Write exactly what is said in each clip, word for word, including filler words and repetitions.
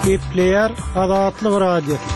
Gepleýär Azatlyk Radiosy.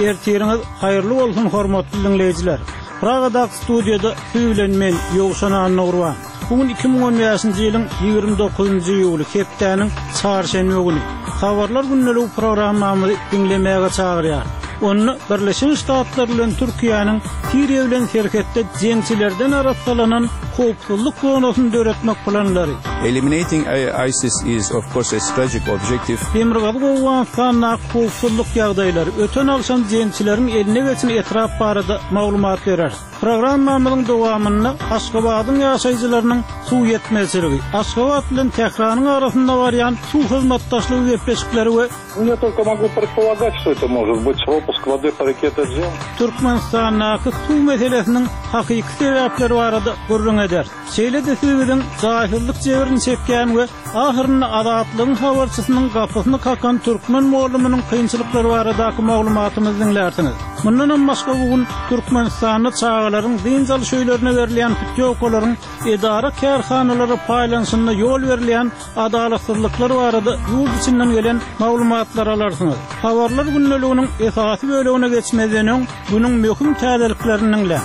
Ertiriňiz haýyrly bolsun hormatly diňleýjiler. Pragadaky studiýada siz bilen men Ýowşan Annagurban. Bu gün iki müň on bäşinji ýylyň ýigrimi dokuzynjy iýuly hepdäniň çarşenbe güni. Habarlar gündeligi programmamyzy diňlemäge çagyrýar. Onda Birleşen Ştatlar bilen Türkiýäniň Siriýa bilen serhetde jeňçilerden arassalanan howpsuzlyk zonasyny döretmek planlary. Eliminating ISIS is of course a strategic objective. Demirgazyk Owganystandaky howpsuzlyk ýagdaýlary, öten agşam jeňçileriň eline geçen etrap barada maglumat berer. Programmamyzyň dowamynda Aşgabadyň ýaşaýjylarynyň suw ýetmezçiligi, Aşgabat bilen Tähranyň arasynda barýan suw hyzmatdaşlygy gepleşikleri we Ну, я только могу предполагать, что это может быть пропуск воды по реке Теджен. Türkmenistandaky suw meselesiniň hakyky sebäpleri barada gürrüň eder. Şeýle-de siz biziň jaýsyzlyk jebrini çekýän we ahyrynda Azatlygyň habarçysynyň gapysyny kakan türkmen mugallymynyň kynçylyklary baradaky maglumatymyzy diňlärsiňiz. Mundan hem başga bu gün Türkmenistanda çagalaryň dynç alyş öýlerine berilýän putýowkalaryň edara kärhanalara paýlanyşynda ýol berilýän adalatsyzlyklar barada ýurt içinden gelen maglumatlar alarsyňyz. Habarlar gündeliginiň esasy bölegine geçmezden öň günüň möhüm täzeliklerini diňläň.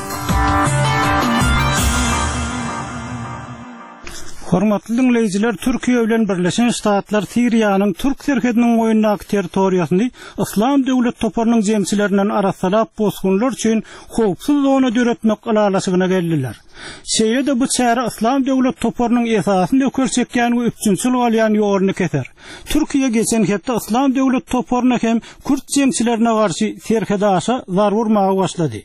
Hormatly diňleýjiler, Türkiýe bilen Birleşen Ştatlar Siriýanyň Türk serhediniň boýundaky territoriýasyny Yslam döwlet toparynyň jeňçilerinden arassalap bosgunlar üçin howpsuz zona döretmek ylalaşygyna geldiler. Şeýle-de bu çäre Yslam döwlet toparynyň esasyny ökür çekýän we üpjünçilik alýan ýoluny keser. Türkiýe geçen hepde Yslam döwlet toparyna hem Kürt jeňçilerine garşy serhedaşa zarba urmaga başlady.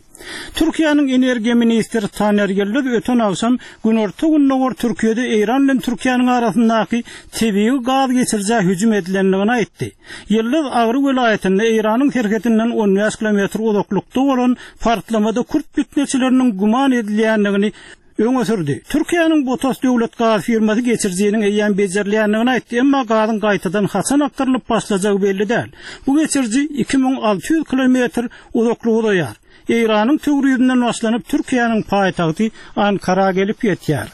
Türkiýäniň energiýa ministri Taner Ýyldyz öten agşam Günorta Gündogar Türkiýede Eýran bilen Türkiýäniň arasyndaky tebigy gaz geçirijä hüjüm edilendigini aýtdy. Ýyldyz Agry welaýatynda Eýranyň serhedinden on bäş kilometr uzaklykda bolan partlamada Kürt fitneçileriniň güman edilýändigini öňe sürdi. Türkiýäniň Botas döwlet gaz firmasy geçirijiniň eýýäm bejerilýändigini aýtdy, emma gazyň gaýtadan haçan akdyrylyp başlajagy belli däl. Bu geçiriji iki müň alty ýüz kilometr uzaklyga uzaýar. Eýranyň Töwrizinden başlanyp Türkiýäniň paýtagty Ankara gelip ýetýär.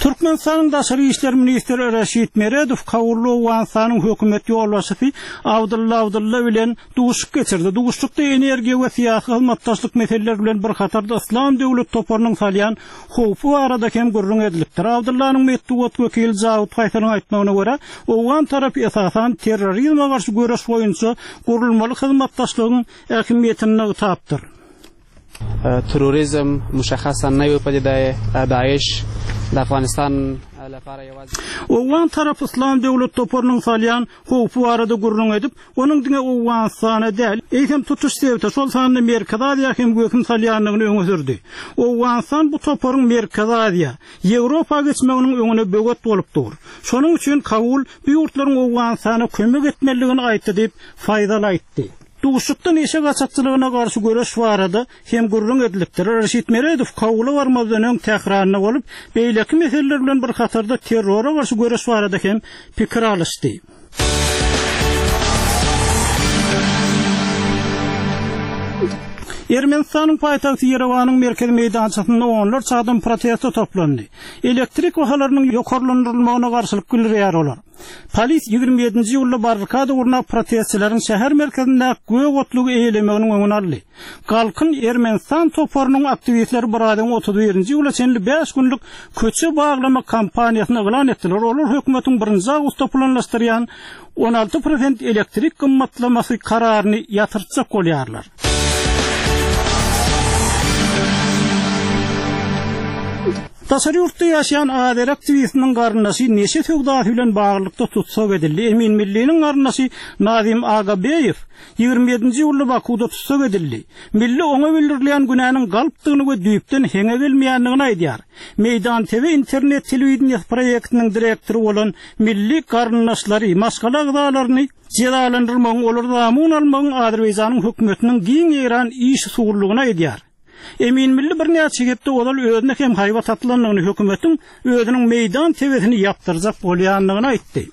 Türkmenistanyň Daşary işler ministri Reşit Meredow Kabulda Owganystanyň hökümet ýolbaşçysy Abdylla Abdylla bilen duşuşyk geçirdi. Duşuşykda energiýa we syýasy hyzmatdaşlyk meseleleri bilen bir hatarda Yslam döwlet toparynyň salýan howpy barada hem gürrüň edilipdir. Abdyllanyň metbugat wekili Jawid Faýsalyň aýtmagyna görä, Owgan tarapy esasan terrorizme garşy göreş boýunça gurulmaly hyzmatdaşlygyň ähmiýetini nygtapdyr. Terrorizm müşahhasan naýy padidaye Daesh Afganistan Owgan tarapy Yslam döwlet toparynyň salýan howpy barada gürrüň edip, onuň diňe Owganystana däl, eýsem tutuş sebite, şol sanda Merkezi Aziýa hem wehim salýandygyny öňe sürdi. Owganystan bu toparyň Merkezi Aziýa, Ýewropa geçmeginiň öňüne böwet bolup dur. Şonuň üçin Kabul bu ýurtlaryň Owganystana kömek etmelidigini aýtdy diýip Faýzal aýtdy. Duşuşykda neşe gaçakçylygyna garşy göreş barada hem gürrüň edilipdir. Reşit Meredow Kabula barmazdan öň Tähranda bolup, beýleki meseleler bilen bir hatarda terrora garşy göreş barada hem pikir alyşdy. Ermenistanyň paýtagty Ýerewanyň merkezi meýdançasynda onlarça adam protesta toplandy. Elektrik bahalarynyň ýokarlandyrylmagyna garşylyk bildirýär olar. Polis ýigrimi ýedinji ýylda barrikada gurnap protestçileriň şäher merkezinde gök otlugy eýelemeginiň öňüni aldy. Galkyn Ermenistan toparynyň aktiwistleri bir aýdan otuz birinji ýyla çenli bäş günlük köçe baglama kampaniýasyny yglan etdiler. Olar hökümetiň birinji awgustda planlaşdyrýan on alty prosent elektrik gymmatlamasy kararyny ýatyrtjak bolýarlar. Daşary ýurtda ýaşaýan Azeri aktiwistiniň garyndaşy neşe söwdasy bilen baglylykda tutsak edildi. Emin Milliniň garyndaşy Nazim Agabeýew ýigrimi ýedinji ýylda Bakuda tutsak edildi. Milli oňa bildirilýän günäniň galpdygyny we düýpden heňe gelmeýändigini aýdýar. Meýdan T V internet telewideniýesi proýektiniň direktory bolan Milli garyndaşlary, maşgala agzalaryny jezalandyrmagyň, olary zamun almagyň Azerbaýjanyň hökümetiniň giň ýaýran iş usullygyny aýdýar. Emin Milli birnäçe hepde ozal özüne hem haýbat atylandygyny hökümetiň özüniň meýdan T V-sini ýapdyrjak bolýandygyny aýtdy.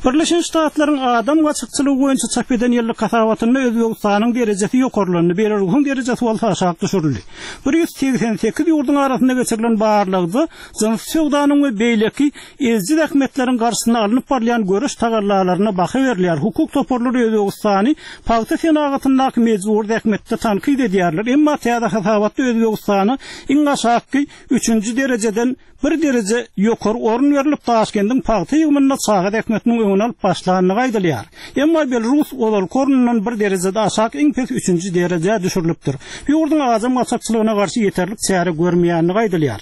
Birleşen Ştatlaryň adam gaçakçylygy boýunça çap eden ýyllyk hasabatynda Özbegistanyň derejesi ýokarlandy, Belarusyň derejesi bolsa aşak düşürildi. Bir ýüz segsen sekiz ýurduň arasynda geçirilen barlagda jynsy söwdanyň we beýleki eziji zähmetleriň garşysyna alnyp barylýan göreş tagallalaryna baha berilýär. Hukuk toparlary Özbegistany pagta senagatyndaky mejbury zähmetde tankyt edýärler. Emma täze hasabatda Özbegistana iň aşakky üçünji derejeden bir dereje ýokary orun berlip, Daşkendiň pagta ýygymynda çaga zähmetiniň öňüni alyp başlandygy aýdylýar. Emma Belarus ozalky ornundan bir derejede aşak iň pes üçünji derejä düşürilipdir. Bu ýurduň adam gaçakçylygyna garşy ýeterlik çäre görmeýändigi aýdylýar.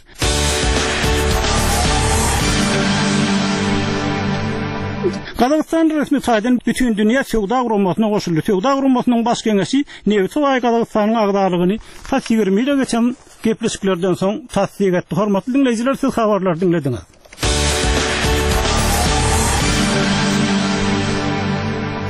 Gazagystan resmi taýdan Bütindünýä Söwda Guramasyna goşuldy. Söwda Guramasynyň baş geňeşi nebiti baý Gazagystanyň agzalygyny tas ýigrimi ýyla geçen gepleşiklerden soň tassyk etdi. Hormatly diňleýjiler, siz habarlary diňlediňiz.